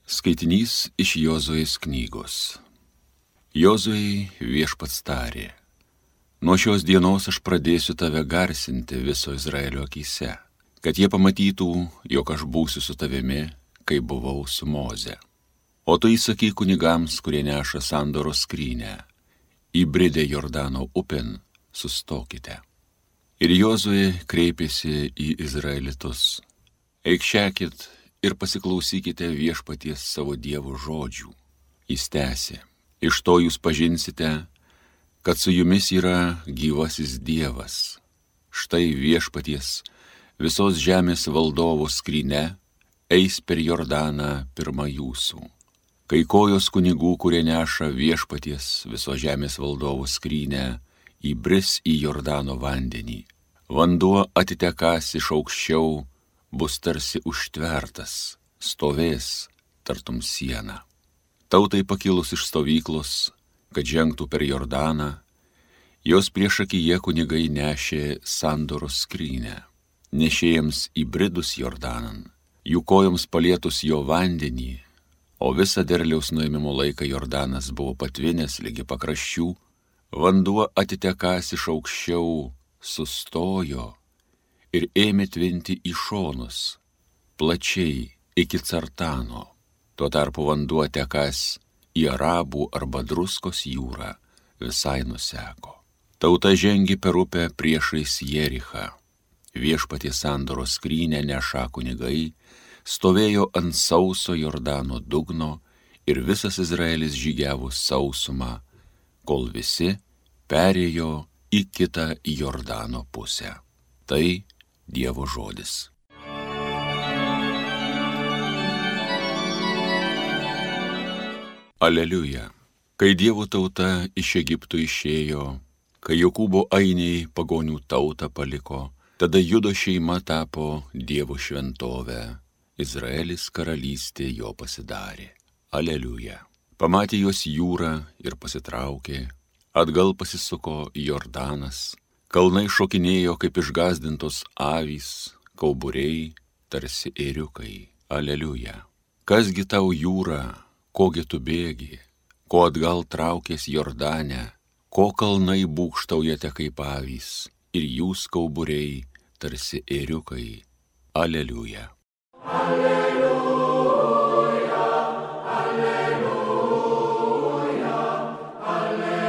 Skaitinys iš Jozuės knygos. Jozuei viešpats tarė: nuo šios dienos aš pradėsiu tave garsinti viso Izraelio akyse, kad jie pamatytų, jog aš būsiu su tavimi, kai buvau su Moze. O tu įsakyk kunigams, kurie neša sandoros skrynę: įbridę Jordano upėn, sustokite. Ir Jozuė kreipėsi į izraelitus: eikšekit ir pasiklausykite viešpaties savo Dievo žodžių. Jis tęsė: iš to jūs pažinsite, kad su jumis yra gyvasis Dievas. Štai viešpaties visos žemės valdovo skryne eis per Jordaną pirma jūsų. Kai kojos kunigų, kurie neša viešpaties visos žemės valdovo skrynę, įbris į Jordano vandenį, vanduo atitekąs iš aukščiau, bus tarsi užtvertas, stovės tartum siena. Tautai pakilus iš stovyklos, kad žengtų per Jordaną, jos priešakyje kunigai nešė sandoros skrynę. Nešėjams įbridus Jordanan, jų kojoms palietus jo vandenį, o visą derliaus nuėmimo laiką Jordanas buvo patvinęs ligi pakraščių, vanduo atitekąs iš aukščiau sustojo ir ėmė tvinti į šonus, plačiai iki Cartano. Tuo tarpu vanduo tekąs į Arabų arba Druskos jūrą visai nuseko. Tauta žengė per upę priešais Jerichą. Viešpaties sandoros skrynę nešą kunigai stovėjo ant sauso Jordano dugno ir visas Izraelis žygiavo sausumą, kol visi perėjo į kitą Jordano pusę. Tai Dievo žodis. Aleliuja. Kai Dievo tauta iš Egipto išėjo, kai Jokūbo ainiai pagonių tautą paliko, tada Judo šeima tapo Dievo šventovę, Izraelis karalystė jo pasidarė. Aleliuja. Pamatė juos jūrą ir pasitraukė, atgal pasisuko Jordanas, kalnai šokinėjo kaip išgąsdintos avys, kauburiai tarsi ėriukai. Aleliuja. Kasgi tau jūra, kogi tu bėgi, ko atgal traukės Jordane, ko kalnai būgštaujate kaip avys ir jūs kauburiai tarsi ėriukai. Aleliuja. Aleliuja, aleliuja, aleliuja.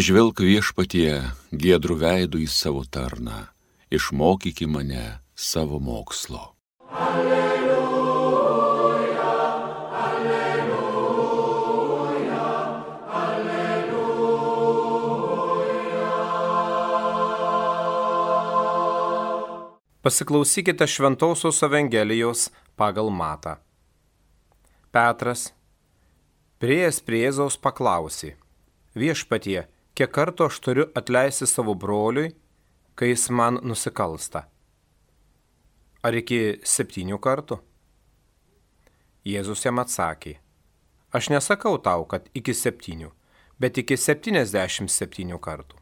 Žvelk viešpatie giedrų veidų į savo tarną, išmokyki mane savo mokslo. Aleliuja, aleliuja, aleliuja. Pasiklausykite Šventosios Evangelijos pagal Matą. Petras, priėjęs prie Jėzaus, paklausė: viešpatie, kiek kartų aš turiu atleisti savo broliui, kai jis man nusikalsta? Ar iki 7 kartų? Jėzus jam atsakė: aš nesakau tau, kad iki 7, bet iki 77 kartų.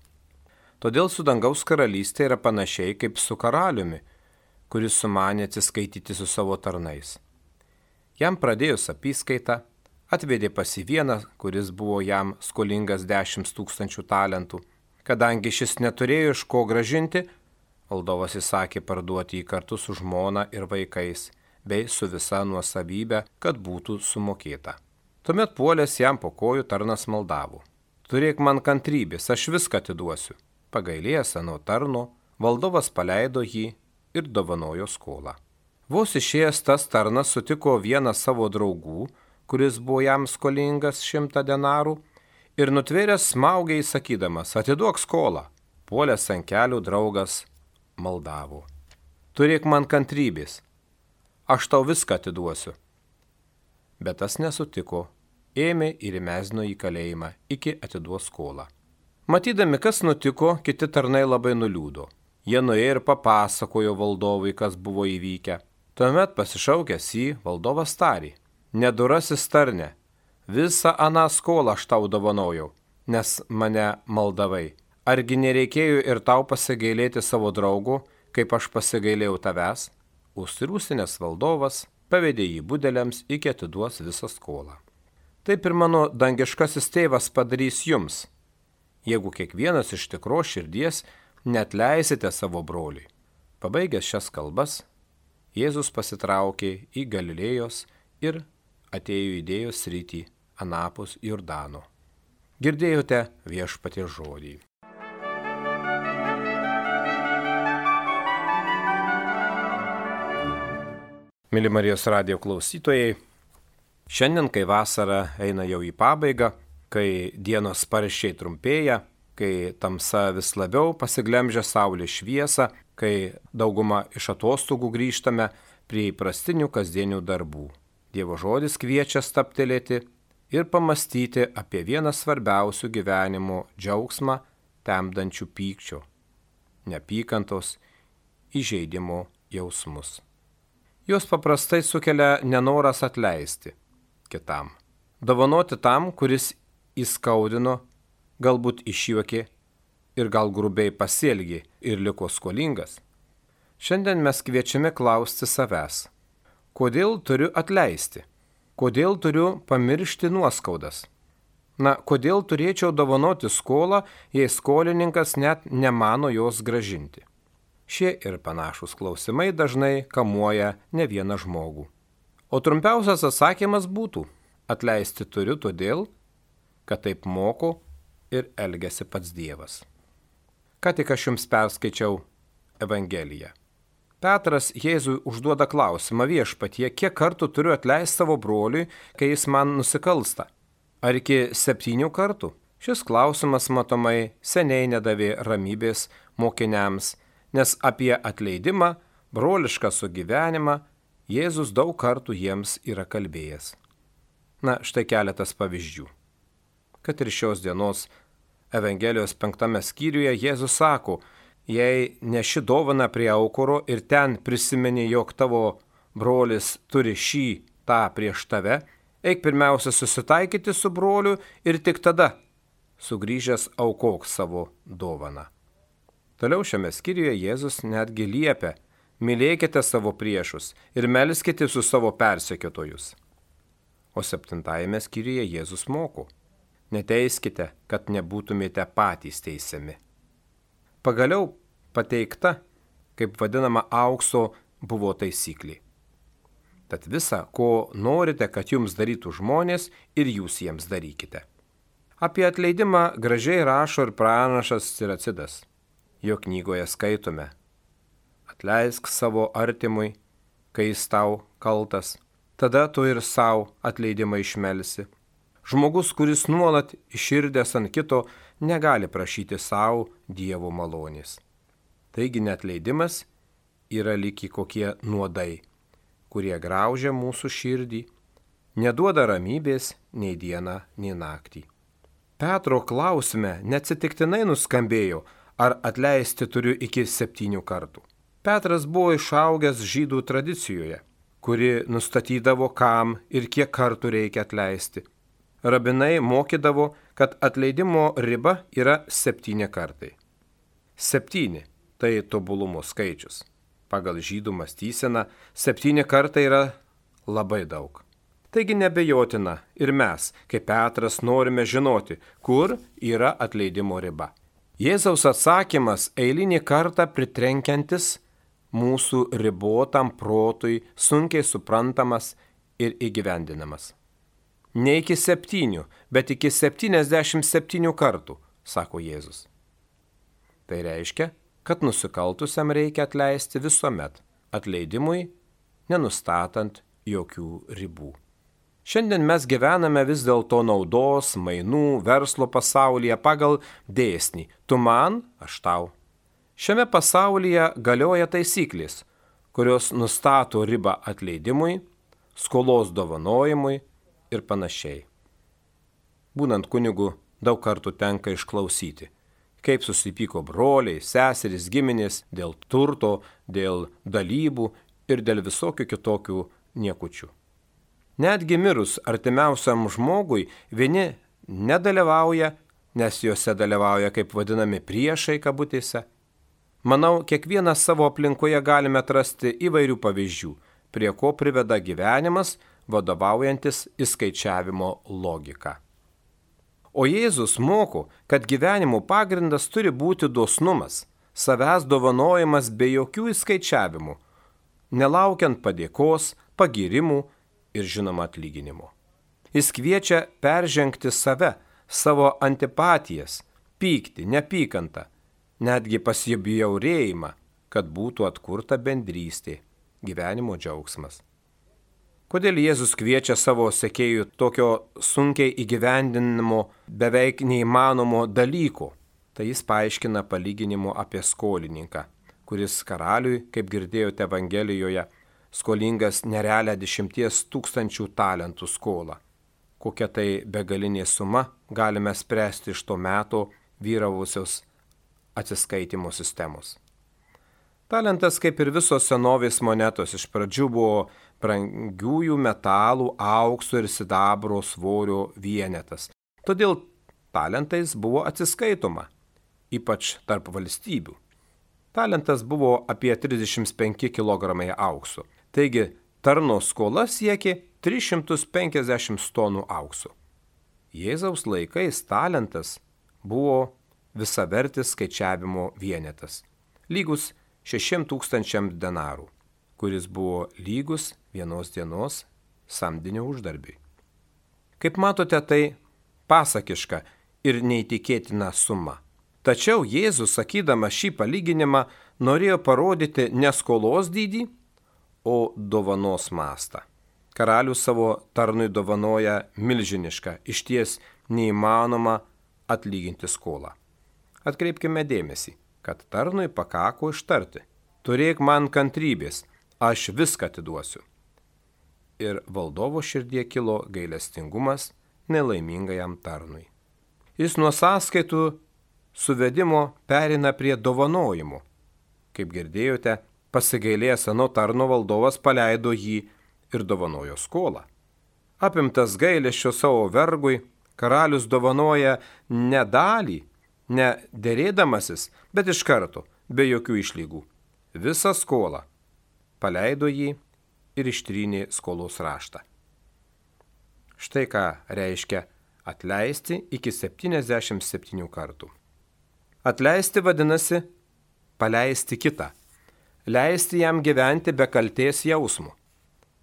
Todėl su dangaus karalystė yra panašiai kaip su karaliumi, kuris sumanė atsiskaityti su savo tarnais. Jam pradėjus apyskaitą, atvedė pas jį vieną, kuris buvo jam skolingas 10 000 talentų. Kadangi šis neturėjo iš ko grąžinti, valdovas įsakė parduoti jį kartu su žmona ir vaikais, bei su visa nuosavybė, kad būtų sumokėta. Tuomet puolęs jam po kojų tarnas maldavo: turėk man kantrybės, aš viską atiduosiu. Pagailėjęs ano tarno, valdovas paleido jį ir dovanojo skolą. Vos išėjęs tas tarnas sutiko vieną savo draugų, kuris buvo jam skolingas 100 denarų, ir nutvėręs smaugė įsakydamas: atiduok skolą. Puolęs ant kelių draugas maldavo: turėk man kantrybės, aš tau viską atiduosiu. Bet tas nesutiko, ėmė ir įmesdino į kalėjimą iki atiduos skolą. Matydami, kas nutiko, kiti tarnai labai nuliūdo. Jie nuėjo ir papasakojo valdovui, kas buvo įvykę. Tuomet pasišaukęs jį, valdovas tarė: nedurasis tarne, visą aną skolą aš tau dovanojau, nes mane maldavai. Argi nereikėjo ir tau pasigailėti savo draugo, kaip aš pasigailėjau tavęs? Užsirūstinės valdovas pavedė jį budeliams, iki atiduos visą skolą. Taip ir mano dangiškasis tėvas padarys jums, jeigu kiekvienas iš tikros širdies neatleisite savo broliui. Pabaigęs šias kalbas, Jėzus pasitraukė į Galilėjos ir atėjo Judėjos sritį anapus Jordano. Girdėjote Viešpaties žodį. Mėly Marijos radijo klausytojai, šiandien, kai vasara eina jau į pabaigą, kai dienos sparčiai trumpėja, kai tamsa vis labiau pasiglemžia saulės šviesą, kai dauguma iš atostogų grįžtame prie įprastinių kasdienių darbų. Dievo žodis kviečia stabtelėti ir pamastyti apie vieną svarbiausių gyvenimo džiaugsmą temdančių pykčio, neapykantos, įžeidimo jausmus. Jos paprastai sukelia nenoras atleisti kitam, dovanoti tam, kuris įskaudino, galbūt išjuokė ir gal grubiai pasielgė ir liko skolingas. Šiandien mes kviečiame klausti savęs, kodėl turiu atleisti, kodėl turiu pamiršti nuoskaudas. Kodėl turėčiau dovanoti skolą, jei skolininkas net nemano jos gražinti. Šie ir panašūs klausimai dažnai kamuoja ne vieną žmogų. O trumpiausias atsakymas būtų: atleisti turiu todėl, kad taip moko ir elgiasi pats Dievas. Ką tik aš jums perskaičiau Evangeliją. Petras Jėzui užduoda klausimą: Viešpatie, kiek kartų turiu atleisti savo broliui, kai jis man nusikalsta? Ar iki 7 kartų? Šis klausimas matomai seniai nedavė ramybės mokiniams, nes apie atleidimą, brolišką sugyvenimą Jėzus daug kartų jiems yra kalbėjęs. Štai keletas pavyzdžių. Kad ir šios dienos Evangelijos 5 skyriuje Jėzus sako: jei neši dovaną prie aukuro ir ten prisimeni, jog tavo brolis turi šį tą prieš tave, eik pirmiausia susitaikyti su broliu ir tik tada, sugrįžęs, aukok savo dovaną. Toliau šiame skyriuje Jėzus netgi liepia: mylėkite savo priešus ir melskite su savo persekiotojus. O 7 skyriuje Jėzus moko: neteiskite, kad nebūtumėte patys teisiami. Pagaliau pateikta, kaip vadinama, aukso buvo taisyklė. Tad visa, ko norite, kad jums darytų žmonės, ir jūs jiems darykite. Apie atleidimą gražiai rašo ir pranašas Siracidas. Jo knygoje skaitome: atleisk savo artimui, kai jis tau kaltas, tada tu ir savo atleidimą išmelsi. Žmogus, kuris nuolat iširdęs ant kito, negali prašyti savo Dievo malonės. Taigi neatleidimas yra lyg kokie nuodai, kurie graužia mūsų širdį, neduoda ramybės nei dieną, nei naktį. Petro klausime neatsitiktinai nuskambėjo: ar atleisti turiu iki 7 kartų. Petras buvo išaugęs žydų tradicijoje, kuri nustatydavo, kam ir kiek kartų reikia atleisti. Rabinai mokydavo, kad atleidimo riba yra 7 kartai. 7 – tai tobulumo skaičius. Pagal žydų mąstyseną 7 kartai yra labai daug. Taigi nebejotina ir mes, kaip Petras, norime žinoti, kur yra atleidimo riba. Jėzaus atsakymas eilinį kartą pritrenkiantis mūsų ribotam protui, sunkiai suprantamas ir įgyvendinamas. Ne iki 7, bet iki 77 kartų, sako Jėzus. Tai reiškia, kad nusikaltusiam reikia atleisti visuomet, atleidimui nenustatant jokių ribų. Šiandien mes gyvename vis dėlto naudos, mainų, verslo pasaulyje pagal dėsnį: tu man, aš tau. Šiame pasaulyje galioja taisyklės, kurios nustato ribą atleidimui, skolos dovanojimui ir panašiai. Būnant kunigu, daug kartų tenka išklausyti, kaip susipyko broliai, seserys, giminės dėl turto, dėl dalybų ir dėl visokių kitokių niekučių. Netgi mirus artimiausiam žmogui vieni nedalyvauja, nes juose dalyvauja kaip vadinami priešai kabutėse. Manau, kiekvienas savo aplinkoje galime atrasti įvairių pavyzdžių, prie ko priveda gyvenimas, vadovaujantis įskaičiavimo logika. O Jėzus moko, kad gyvenimo pagrindas turi būti dosnumas, savęs dovanojimas be jokių įskaičiavimų, nelaukiant padėkos, pagirimų ir žinoma atlyginimo. Jis kviečia peržengti save, savo antipatijas, pyktį, neapykantą, netgi pasibjaurėjimą, kad būtų atkurta bendrystė, gyvenimo džiaugsmas. Kodėl Jėzus kviečia savo sekėjų tokio sunkiai įgyvendinimo, beveik neįmanomo dalyko? Tai jis paaiškina palyginimu apie skolininką, kuris karaliui, kaip girdėjote Evangelijoje, skolingas nerealią 10 000 talentų skolą. Kokia tai begalinė suma, galime spręsti iš to meto vyravusios atsiskaitimo sistemos. Talentas, kaip ir visos senovės monetos, iš pradžių buvo brangiųjų metalų, aukso ir sidabro svorio vienetas. Todėl talentais buvo atsiskaitoma, ypač tarp valstybių. Talentas buvo apie 35 kg aukso, taigi tarno skola siekė 350 tonų aukso. Jėzaus laikais talentas buvo visavertis skaičiavimo vienetas, lygus 6000 denarų, kuris buvo lygus vienos dienos samdinio uždarbiui. Kaip matote, tai pasakiška ir neįtikėtina suma. Tačiau Jėzus, sakydamas šį palyginimą, norėjo parodyti ne skolos dydį, o dovanos mastą. Karalius savo tarnui dovanoja milžinišką, išties neįmanoma atlyginti skolą. Atkreipkime dėmesį, kad tarnui pakako ištarti: turėk man kantrybės, aš viską atiduosiu. Ir valdovo širdie kilo gailestingumas nelaimingajam tarnui. Jis nuo sąskaitų suvedimo pereina prie dovanojimo. Kaip girdėjote, pasigailėjęs ano tarno valdovas paleido jį ir dovanojo skolą. Apimtas gailesčio savo vergui, karalius dovanoja ne dalį, ne derėdamasis, bet iš karto, be jokių išlygų. Visą skolą. Paleido jį ir ištrynė skolos raštą. Štai ką reiškia atleisti iki 77 kartų. Atleisti vadinasi paleisti kitą, leisti jam gyventi be kaltės jausmų,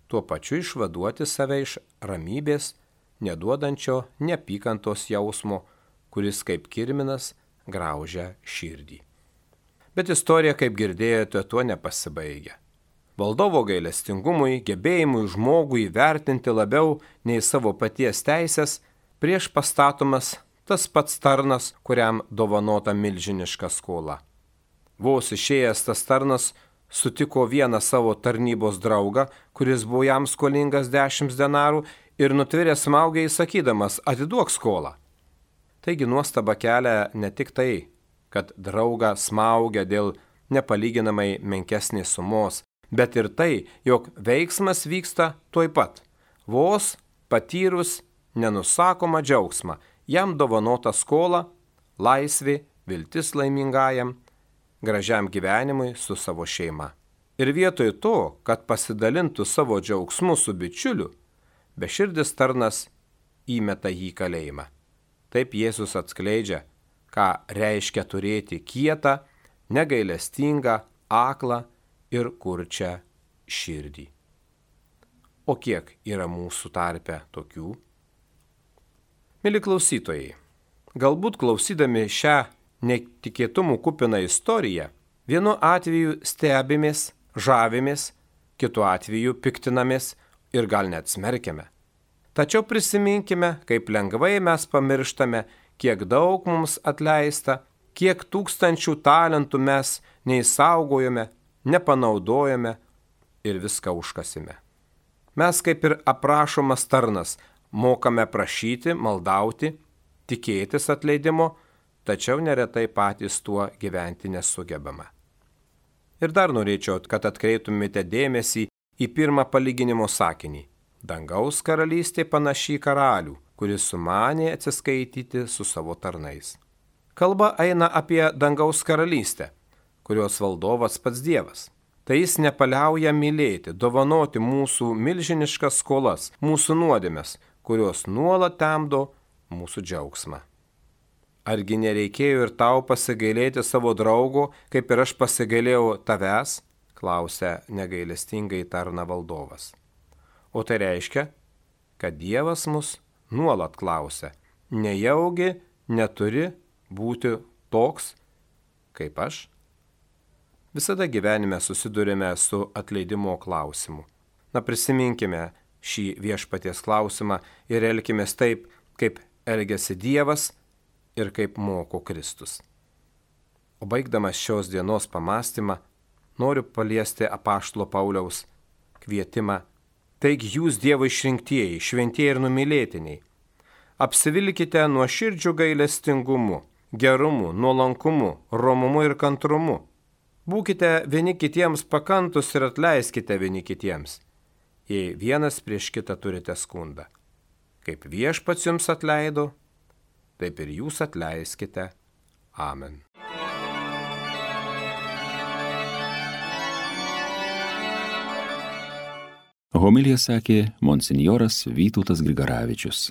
tuo pačiu išvaduoti save iš ramybės, neduodančio neapykantos jausmo, kuris kaip kirminas graužia širdį. Bet istorija, kaip girdėjote, tuo nepasibaigia. Valdovo gailestingumui, gebėjimui žmogui įvertinti labiau nei savo paties teisės, prieš pastatomas tas pats tarnas, kuriam dovanota milžiniška skola. Vos išėjęs tas tarnas sutiko vieną savo tarnybos draugą, kuris buvo jam skolingas 10 denarų ir nutvėrė smaugiai sakydamas: atiduok skolą. Taigi nuostaba kelia ne tik tai, kad draugą smaugia dėl nepalyginamai menkesnės sumos, bet ir tai, jog veiksmas vyksta tuoj pat, vos patyrus nenusakomą džiaugsmą, jam dovanota skola, laisvė, viltis laimingajam, gražiam gyvenimui su savo šeima. Ir vietoj to, kad pasidalintų savo džiaugsmu su bičiuliu, beširdis tarnas įmeta jį į kalėjimą. Taip Jėzus atskleidžia, ką reiškia turėti kietą, negailestingą, aklą ir kurčią širdį. O kiek yra mūsų tarpe tokių? Mili klausytojai, galbūt klausydami šią netikėtumų kupiną istoriją, vienu atveju stebimės, žavimės, kitu atveju piktinamės ir gal net smerkiame. Tačiau prisiminkime, kaip lengvai mes pamirštame, kiek daug mums atleista, kiek tūkstančių talentų mes neįsaugojome, nepanaudojame ir viską užkasime. Mes, kaip ir aprašomas tarnas, mokame prašyti, maldauti, tikėtis atleidimo, tačiau neretai patys tuo gyventi nesugebame. Ir dar norėčiau, kad atkreiptumėte dėmesį į pirmą palyginimo sakinį. Dangaus karalystė panaši į karalių, kuris sumanė atsiskaityti su savo tarnais. Kalba eina apie dangaus karalystę, kurios valdovas pats Dievas. Tai jis nepaliauja mylėti, dovanoti mūsų milžiniškas skolas, mūsų nuodėmes, kurios nuolat temdo mūsų džiaugsmą. Argi nereikėjo ir tau pasigailėti savo draugo, kaip ir aš pasigailėjau tavęs? Klausė negailestingai tarna valdovas. O tai reiškia, kad Dievas mus nuolat klausia, nejaugi neturi būti toks, kaip aš? Visada gyvenime susidurime su atleidimo klausimu. Prisiminkime šį viešpaties klausimą ir elkimės taip, kaip elgiasi Dievas ir kaip moko Kristus. O baigdamas šios dienos pamastymą, noriu paliesti apaštalo Pauliaus kvietimą. Taigi jūs Dievo išrinktieji, šventieji ir numylėtiniai, apsivilkite nuoširdžiu gailestingumu, gerumu, nuolankumu, romumu ir kantrumu. Būkite vieni kitiems pakantus ir atleiskite vieni kitiems, jei vienas prieš kitą turite skundą. Kaip viešpats jums atleido, taip ir jūs atleiskite. Amen. Homiliją sakė monsinjoras Vytautas Grigaravičius.